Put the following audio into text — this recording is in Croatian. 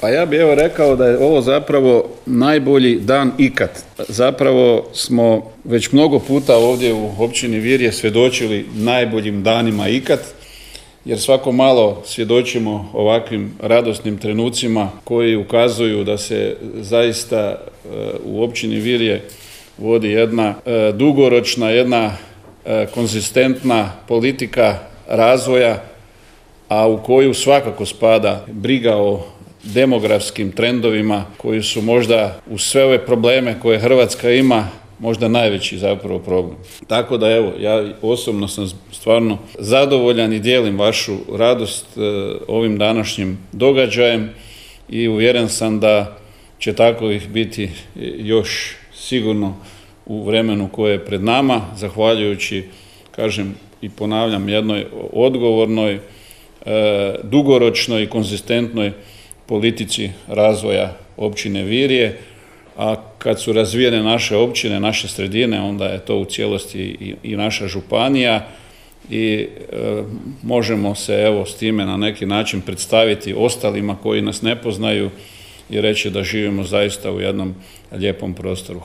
Pa ja bih rekao da je ovo zapravo najbolji dan ikad. Zapravo smo već mnogo puta ovdje u općini Virje svjedočili najboljim danima ikad, jer svako malo svjedočimo ovakvim radosnim trenucima koji ukazuju da se zaista u općini Virje vodi jedna dugoročna, jedna konzistentna politika razvoja, a u koju svakako spada briga o demografskim trendovima koji su možda uz sve ove probleme koje Hrvatska ima možda najveći zapravo problem. Tako da evo, ja osobno sam stvarno zadovoljan i dijelim vašu radost ovim današnjim događajem i uvjeren sam da će takovih biti još sigurno u vremenu koje je pred nama, zahvaljujući, kažem i ponavljam, jednoj odgovornoj, dugoročnoj i konzistentnoj politici razvoja općine Virje, a kad su razvijene naše općine, naše sredine, onda je to u cijelosti i naša županija i možemo se evo s time na neki način predstaviti ostalima koji nas ne poznaju i reći da živimo zaista u jednom lijepom prostoru.